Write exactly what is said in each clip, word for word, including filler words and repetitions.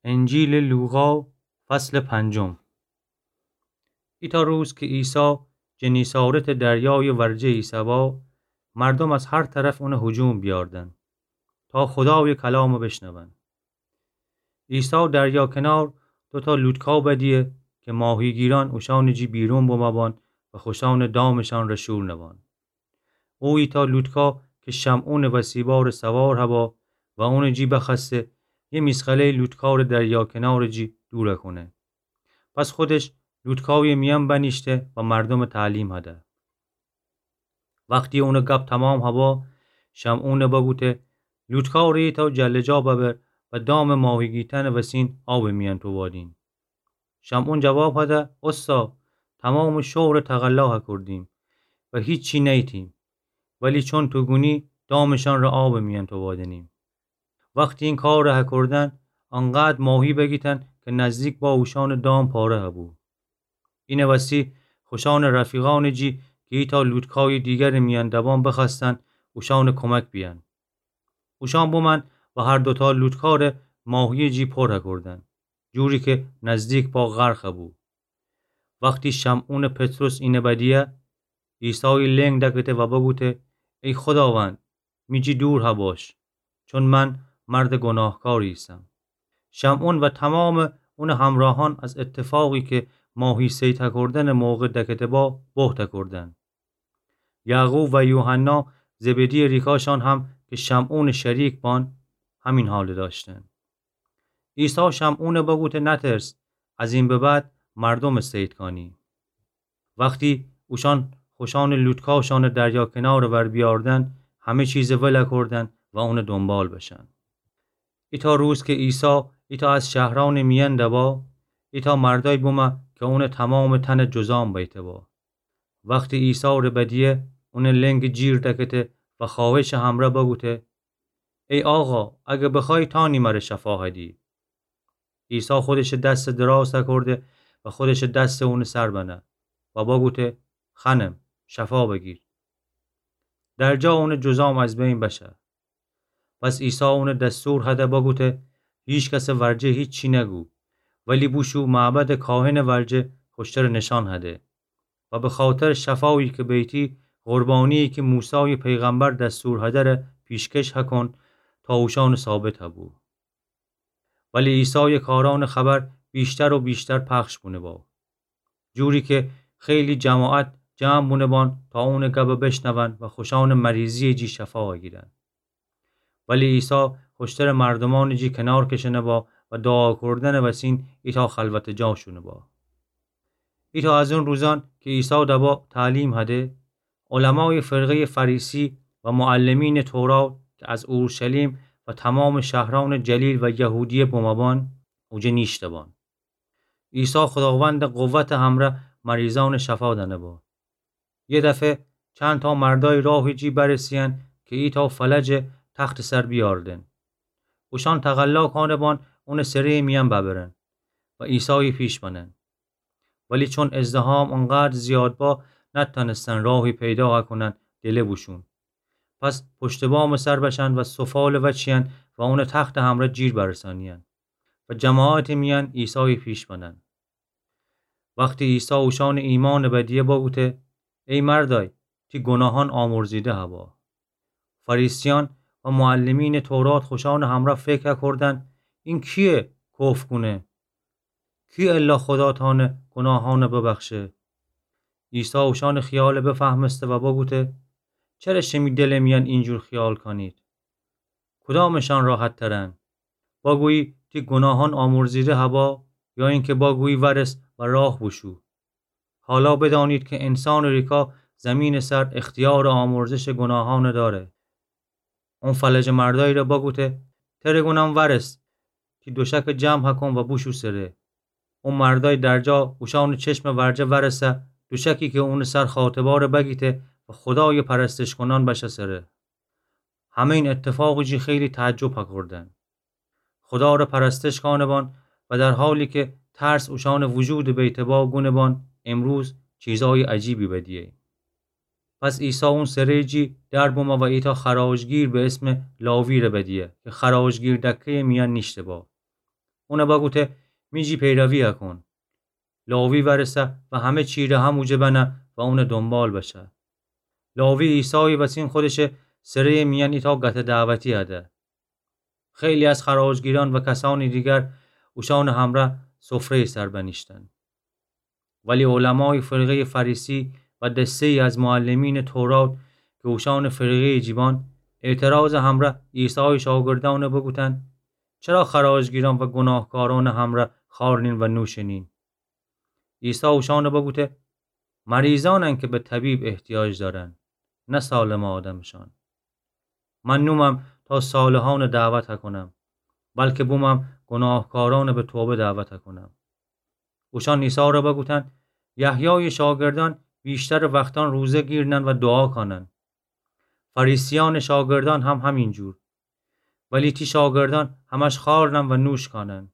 انجیلٚ لوقا، فصلٚ پنجم. ایتأ روز کی عیسی جنیسارتٚ دریایٚ ورجه ایسه‌با، مردوم از هر طرف اونٚ هجوم بیاردن تا خودایٚ کلامٚ بشنون. عیسی دریا کنار دوتأ لوطکا بدیه کی ماهیگیرأن اوشأنٚ جی بیرون بمأبان و خوشأنٚ دامشأنٚ ره شور نوأن. او ایتأ لوطکا کی شمعونٚ وسیبارٚ سوار هبا و اونٚ جی بخوأسته، یه میسقله‌یٚ لوطکا ره دریا کنارٚ جی دورَ کونه. پس خودش لوطکایٚ میأن بنیشته و مردومٚ تعلیم هده. وختی اونٚ گب تمام هبا، شمعونَ بگوته: لوطکا ره ایتأ جل‌جا ببر و دامٚ ماهیگیتأنٚ وسین آبٚ میأن توبادین. شمعون جواب هده: اوستا، تمامٚ شغلٚ تقلا هکردیم و هیچی نیتیم، ولی چون تو گونی دامشأن ره آبٚ میأن توبادنیم. وختی این کارٚ هکردن، انقدر ماهی بگیتن کی نزدیک با اوشأنٚ دام پاره هبو. اینٚ وسی خوشأنٚ رفیقأنٚ جی کی ایتأ لوطکایٚ دیگرٚ میأن دبان بخوأستن اوشأنٚ کمک بیأن. اوشأن بومأن و هر دوتأ لوطکا ره ماهیٚ جی پر هکردن، جوری کی نزدیک با غرق هبو. وختی شمعونٚ پطرس اینَ بدیه، عیسایَ لنگ دکته و بگوته: ای خوداوند، می جی دور هباش، چون من مردٚ گوناهکاری ایسم. شمعون و تمامٚ اونٚ همراهأن از اتفاقی کی ماهی صید هکردنٚ موقع دکته با، بهت هکردن. یعقوب و یوحنا، زبدی‌یٚ ریکاشأن هم کی شمعونٚ شریک بان، همین حالَ دأشتن. عیسی شمعونَ بگوته: نترس، از این به بعد مردومَ صید کانی. وختی اوشأن خوشأنٚ لوطکاشأنَ دریا کنارٚ ور بیاردن، همه چیزَ ول کردن و اونٚ دونبال بشن. ایتأ روز کی عیسی ایتأ از شهرأنٚ میأن دبا، ایتأ مردأیی بومه کی اونٚ تمامٚ تنَ جذام بیته با. وختی عیسی ره بدیه، اونٚ لنگ جیر دکته و خواهشٚ همرأ بگوته: ای آقا، اگر بخوأیی تانی مره شفا هدی. عیسی خودشٚ دستَ دراز هکرده و خودشٚ دستَ اونٚ سر بنه و بگوته: خانم، شفا بگیر. در جا اونٚ جذام از بین بشه. پس عیسی اونَ دستور هده بگوته: هیکسٚ ورجه هیچی نگو، ولی بوشو معبدٚ کاهنٚ ورجه خوشترٚ نشأن هده و به خاطرٚ شفایی کی بیتی، قربانی‌یی کی موسایٚ پیغمبر دستور هده ره پیشکش هکن تا اوشأنٚ ثابت هبو. ولی عیسایٚ کارأنٚ خبر ویشتر و ویشتر پخش بونه با، جوری کی خیلی جماعت جمع بونه بان تا اونٚ گبَ بشنون و خوشأنٚ مریضی‌یٚ جی شفا هگیرن. ولی عیسی خوشترٚ مردومأنٚ جی کنار کشنه با و دوعا کردنٚ وسین ایتأ خلوتٚ جا شونه با. ایتأ از اون روزأن کی عیسی دبا تعلیم هده، علمایٚ فرقه‌یٚ فریسی و معلمینٚ تورات کی از اورشلیم و تمامٚ شهرأنٚ جلیل و یهودیه بمه بان، اوجه نیشته بان. عیسی خوداوندٚ قوتٚ همرأ مریضأنٚ شفا دأنه با. یه دفعه چندتأ مردأیی راهٚ جی برسه‌یأن کی ایتأ فلجٚ تختٚ سر بیأردن. اوشأن تقلا کانه بان اونٚ سره‌یٚ میأن ببرن و عیسایٚ پیش بنن. ولی چون ازدحام اونقدر زیاد با، نتأنستن راهی پیدا هکونن دله بوشون. پس پشتٚ بامٚ سر بشن و سفالٚ وأچیأن و اونٚ تختٚ همرأ جیر برسأنیأن و جماعتٚ میأن عیسایٚ پیش بنن. وختی عیسی اوشأنٚ ایمأنٚ بدیه بگوته: ای مردأی، تی گوناهأن آمرزیده هبا. فریسیأن و معلمینٚ تورات خوشأنٚ همرأ فکر هکردن: این کییه کفر کونه؟ کی الا خودا تأنه گوناهأنٚ ببخشه؟ عیسی اوشأنٚ خیالٚ بفهمسته و بگوته: چره شیمی دلٚ میأن اینجور خیال کانید؟ کدامٚشأن راحت‌ترأن؟ بگویی تی گوناهأن آمرزیده هبا، یا اینکه بگویی ورس و راه بوشو؟ حالا بدأنید کی انسانٚ ریکا زیمینٚ سر اختیارٚ آمرزشٚ گوناهأنٚ دأره. اون فلجٚ مردأیی ره بگوته: تره گونم ورس، تی دوشکٚ جمع هکون و بوشو سره. اون مردأی درجا اوشأنٚ چشمٚ ورجه ورسه، دوشکی کی اونٚ سر خأطبا ره بگیته و خودایٚ پرستش کونأن بشه سره. همه‌یین اتفاقٚ جی خیلی تعجب هکردن. خودا ره پرستش کانه بان و در حالی کی ترس اوشأنٚ وجودٚ بیته با گونه بان: امروز چیزأیٚ عجیبی بدیه‌ییم. پس عیسی اون سره‌یٚ جی در بمه و ایتأ خراجگیر به اسمٚ لاوی ره بدیه کی خراجگیر دکه‌یٚ میأن نیشته با. اونَ بگوته: می جی پیرویَ کون. لاوی وأرسه و همه چیره هم اوجه بنه و اونٚ دونبال بشه. لاوی عیسایٚ وسین خودشٚ سره‌یٚ میأن ایتأ گته دعوتی هده. خیلی از خراجگیرأن و کسأنٚ دیگر اوشأنٚ همرأ سفره‌یٚ سر بنیشتن. ولی علمایٚ فرقه‌یٚ فریسی و دسته‌یی از معلمینٚ تورات کی اوشأنٚ فرقه‌یٚ جیبان، اعتراضٚ همرأ عیسایٚ شاگردأنَ بوگوتن: چرا خراجگیرأن و گوناهکارأنٚ همرأ خوأرنین و نوشنین؟ عیسی اوشأنَ بوگوته: مریضأنن کی به طبیب احتیاج دأرن، نه سالمٚ آدمشأن. من نومم تا صالحأنَ دعوت کونم، بلکی بومم گوناهکارأنَ به توبه دعوت کونم. اوشأن عیسی ره بوگوتن: یحیایٚ شاگردأن ویشترٚ وختأن روزه گیرنن و دوعا کانن. فریسیأنٚ شاگردأن هم همینجور. ولی تی شاگردأن همش خوأرنن و نوش کانن.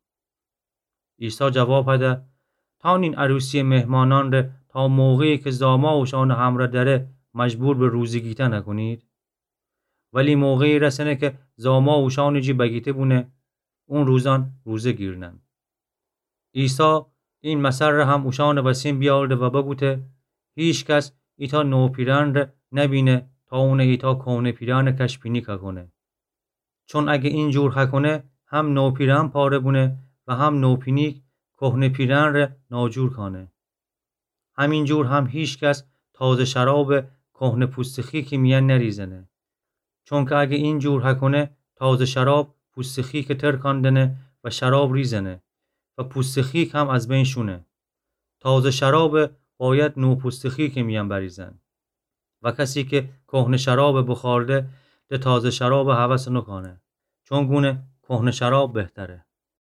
عیسی جواب هده: تأنین عروسیٚ مهمانأن ره تا موقعی کی زاما اوشأنٚ همرأ دأره مجبور به روزه گیتن کونید؟ ولی موقعی رسنه کی زاما اوشأنٚ جی بگیته بونه، اون روزأن روزه گیرنن. عیسی این مثل ره هم اوشأنٚ وسین بیأورده و بوگوته: هیکس ایتأ نوپیرأن ره نبینه تا اونَ ایتأ کهنه پیرأنٚ کش پینیک کونه. چون اگه اینجور هکونه، هم نوپیرأن پاره بونه و هم نوپینیک کهنه پیرأن ره ناجور کانه. همینجور هم هیکس تازه شراب کهنه پوستٚ خیکٚ میأن نریزنه. چونکه اگه اینجور هکونه، تازه شراب پوستٚ خیکَ ترکأن دنه و شراب ریزنه و پوستٚ خیک هم از بین شونه. تازه شراب باید نو پوستٚ خیکٚ میأن بریزن. و کسی کی کهنه شراب بوخورده، ده تازه شراب هوس نوکانه، چون گونه کهنه شراب بهتره.